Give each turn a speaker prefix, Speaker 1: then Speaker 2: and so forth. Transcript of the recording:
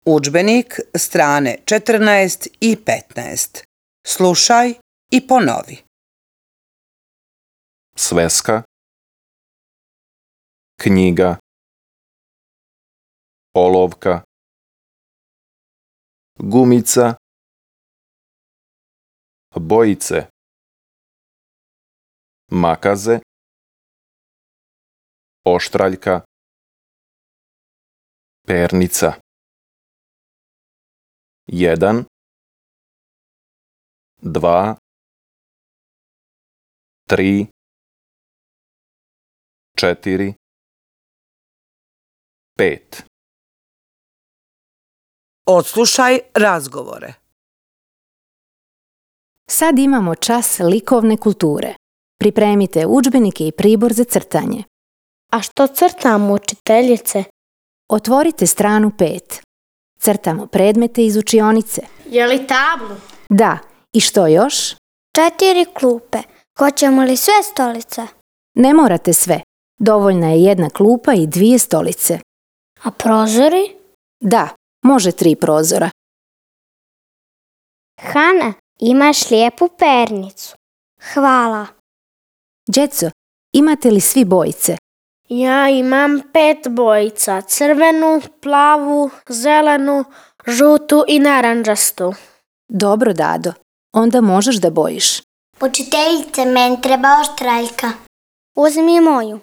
Speaker 1: Udžbenik, strane 14 i 15. Slušaj i ponovi.
Speaker 2: Sveska, knjiga, olovka, gumica, bojice, makaze, oštraljka, pernica. 1, 2, 3, 4, 5.
Speaker 1: Odslušaj razgovore.
Speaker 3: Sad imamo čas likovne kulture. Pripremite udžbenike i pribor za crtanje.
Speaker 4: A što crtamo, učiteljice?
Speaker 3: Otvorite stranu 5. Crtamo predmete iz učionice.
Speaker 4: Je li tablu?
Speaker 3: Da, i što još?
Speaker 5: 4 klupe. Hoćemo li sve stolice?
Speaker 3: Ne morate sve. Dovoljna je 1 klupa i 2 stolice.
Speaker 5: A prozori?
Speaker 3: Da, može 3 prozora.
Speaker 5: Hana, imaš lijepu pernicu. Hvala.
Speaker 3: Đeco, imate li svi bojice?
Speaker 4: Ja imam 5 bojica. Crvenu, plavu, zelenu, žutu i naranđastu.
Speaker 3: Dobro, Dado. Onda možeš da bojiš.
Speaker 5: Učiteljice, meni treba oštraljka. Uzmi moju.